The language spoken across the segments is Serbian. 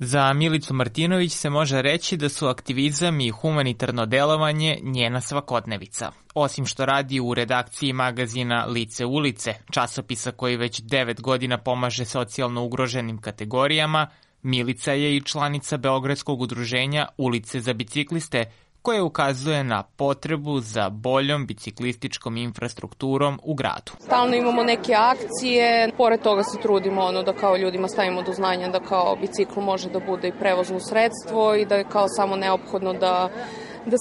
Za Milicu Martinović se može reći da su aktivizam i humanitarno delovanje njena svakodnevica. Osim što radi u redakciji magazina Lice ulice, časopisa koji već 9 godina pomaže socijalno ugroženim kategorijama, Milica je i članica Beogradskog udruženja Ulice za bicikliste, koje ukazuje na potrebu za boljom biciklističkom infrastrukturom u gradu. Stalno imamo neke akcije, pored toga se trudimo da kao ljudima stavimo do znanja da kao bicikl može da bude i prevozno sredstvo i da je kao samo neophodno da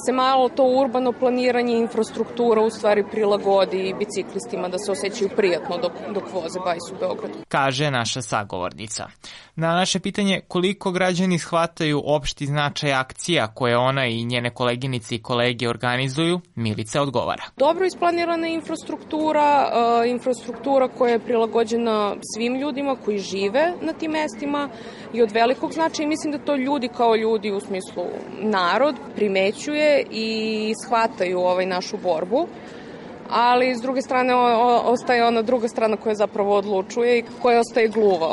se malo to urbano planiranje i infrastruktura u stvari prilagodi biciklistima da se osjećaju prijatno dok voze bajs u Beogradu. Kaže naša sagovornica. Na naše pitanje koliko građani shvataju opšti značaj akcija koje ona i njene koleginice i kolege organizuju, Milica odgovara. Dobro isplanirana infrastruktura koja je prilagođena svim ljudima koji žive na tim mestima i od velikog značaja. Mislim da to ljudi kao ljudi u smislu narod primećuje i shvataju našu borbu, ali s druge strane ostaje ona druga strana koja zapravo odlučuje i koja ostaje gluva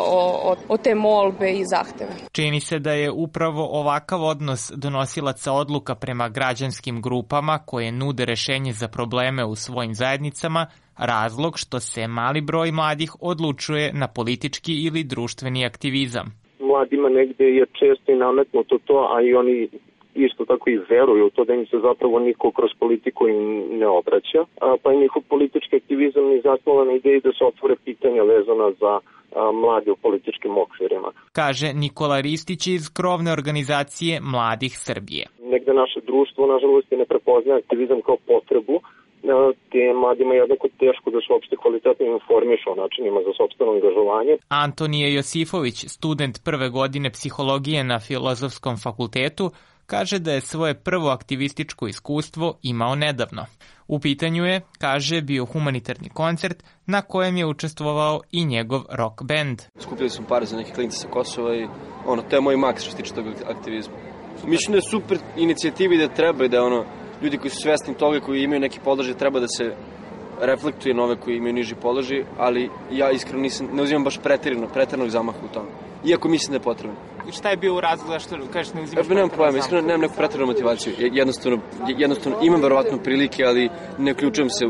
o te molbe i zahteve. Čini se da je upravo ovakav odnos donosilaca odluka prema građanskim grupama koje nude rešenje za probleme u svojim zajednicama razlog što se mali broj mladih odlučuje na politički ili društveni aktivizam. Mladima negde je često i nametnuto to, a i oni isto tako i veruju u to da im se zapravo niko kroz politiku im ne obraća, pa je njihov politički aktivizam i zasnovan na ideji da se otvore pitanja vezana za mlade u političkim okvirima. Kaže Nikola Ristić iz krovne organizacije Mladih Srbije. Negde naše društvo, nažalost, ne prepoznaje aktivizam kao potrebu, te mladima je jednako teško da se uopšte kvalitetno informišu o načinima za sopstveno angažovanje. Antonije Josifović, student prve godine psihologije na Filozofskom fakultetu, kaže da je svoje prvo aktivističko iskustvo imao nedavno. U pitanju je, kaže, bio humanitarni koncert na kojem je učestvovao i njegov rock band. Skupili smo pare za neke klince sa Kosova i to je moj maks što se tiče tog aktivizma. Mislim da je super inicijativa i da treba i da ljudi koji su svesni toga, koji imaju neki položaj, treba da se reflektuje na ove koji imaju niži položaj, ali ja iskreno ne uzimam baš pretjeranog zamaha u tome. Iako mislim da je potrebno. Šta je bio u razlog što kažeš ne uzimaš? Nemam pojma, iskreno nemam neku pretjeranu motivaciju. Jednostavno imam verovatno prilike, ali ne uključujem se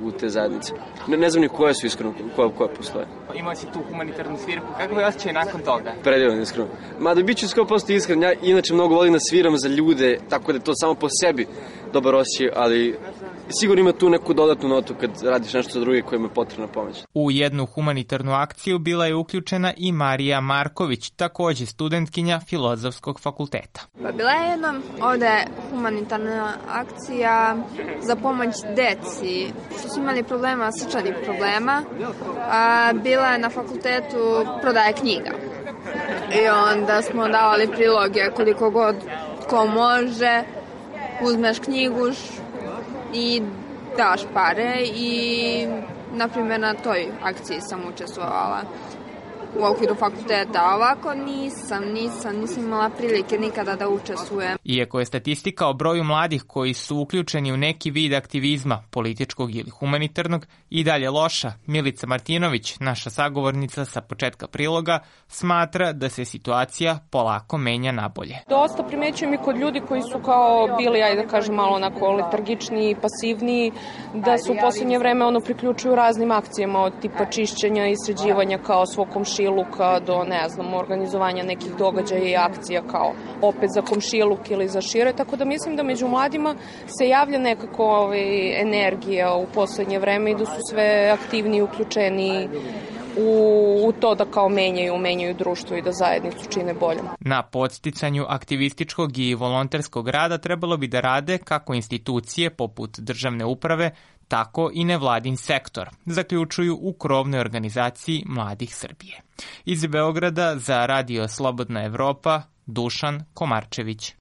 u te zajednice. Ne znam ni koje su iskreno, koje postoje. Imao si tu humanitarnu svirku, kako je osjećaj nakon toga? Predivan, iskreno. Mada bit ću 100% iskren, ja inače mnogo volim da sviram za ljude, tako da je to samo po sebi dobar osjećaj, ali sigurno ima tu neku dodatnu notu kad radiš nešto za druge kojima je potrebna pomoć. U jednu humanitarnu akciju bila je uključena i Marija Marković, takođe studentkinja Filozofskog fakulteta. Bila je jedna ovde humanitarna akcija za pomoć deci što su imali problema, srčanih problema. Bila je na fakultetu prodaje knjiga. I onda smo davali priloge koliko god ko može, uzmeš knjigu i daš pare i, na primjer, na toj akciji sam učestvovala u okviru fakulteta, a ovako nisam imala prilike nikada da učestvujem. Iako je statistika o broju mladih koji su uključeni u neki vid aktivizma, političkog ili humanitarnog, i dalje loša, Milica Martinović, naša sagovornica sa početka priloga, smatra da se situacija polako menja nabolje. Dosta primećujem i kod ljudi koji su kao bili, ajde da kažem, malo onako letargični i pasivniji, da se u poslednje vreme priključuju raznim akcijama od tipa čišćenja i sređivanja kao svog komšiluka do, organizovanja nekih događaja i akcija kao opet za komšiluk ili za šire, tako da mislim da među mladima se javlja nekako energija u poslednje vreme i da su sve aktivniji uključeni u to da kao menjaju društvo i da zajednicu čine boljom. Na podsticanju aktivističkog i volonterskog rada trebalo bi da rade kako institucije poput državne uprave, tako i nevladin sektor, zaključuju u krovnoj organizaciji Mladih Srbije. Iz Beograda za Radio Slobodna Evropa, Dušan Komarčević.